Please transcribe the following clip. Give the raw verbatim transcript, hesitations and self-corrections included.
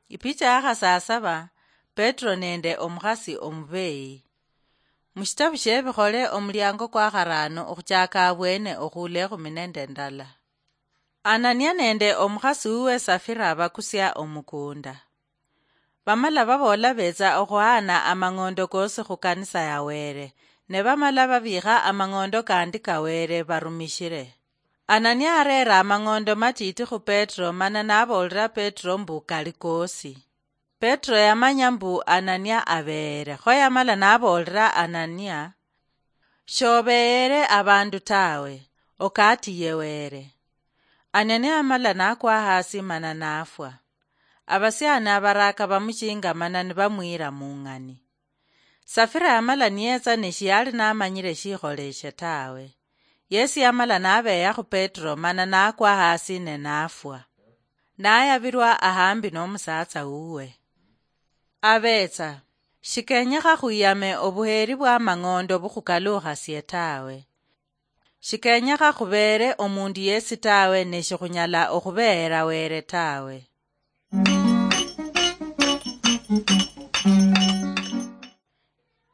Ipicha ya khasasaba. Petro nende omukhasi omubeyi. Mushitabu shiebikhole omuliango kwa kharano okhuchaka abwene okhula ekhumi nende ndala. Anania nende omukhasi uwe Safira bakusia omukunda. Bamala baboola betsa okhuhaana amang'ondo koosi khu kanisa ya Wele, ne bamala babiikha amang'ondo kandi ka Wele barumishile. Anania areera amang'ondo matiiti khu Petro, mana naboolera Petro mbu kali koosi. Petro yamanya mbu Anania abeere, kho yamala naboolera Anania, "Shobeere abandu tawe, okatiye Wele." Anania yamala nakwa hasi mana nafwa. Abasiani abaraka bamuchinga mana nibamwira mung'ani. Safira yamala niyetsa ne shiyali namanyire shikholeshe tawe. Yesu yamala nabeya khu Petro mana nakwa hasi ne nafwa. Nayabilwa ahambi nomusatsa wuwe. Abetsa, shikenyekha khwiyame obuheri bwa mang'ondo bukhukalukhasie tawe. Shikenyekha khubeere omundu yesi tawe, ne shikhunyala okhubeera Wele tawe.